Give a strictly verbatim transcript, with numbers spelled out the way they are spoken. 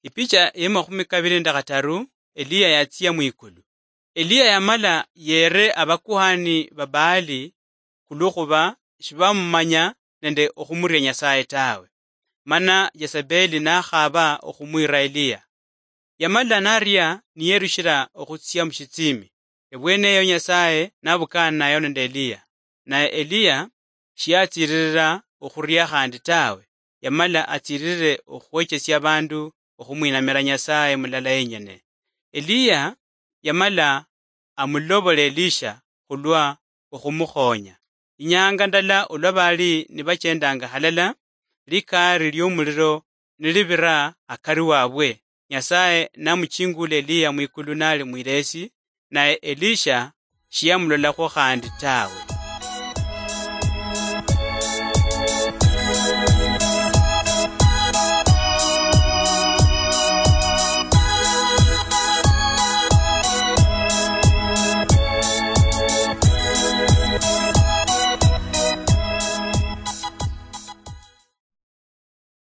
Ipicha ya makhumi kabili nende khataru, Eliya yatsia mwikulu. Eliya yamala yere abakuhani ba Baali khulwokhuba shibamumanya nende okhumuria Nyasaye tawe. Mana Yezebeli nakhaba okhumwira Eliya. Yamala naria niyerushira okhutsia mushitsimi. Ebweneyo Nyasaye nabukana nayo nende Eliya. Naye Eliya shiyatsiririra okhuria khandi tawe, yamala atsiririre okhwechesia abandu okhumwinamira Nyasaye mulala yenyene. Eliya yamala amulobola Elisha khulwa okhumukhonya. Inyanga ndala olwa bali nibachendanga halala, likari liomuliro nilibira akari wabwe, Nyasaye namuchingula Eliya mwikulu nali mwilesi, naye Elisha shiyamulolakhwo khandi tawe.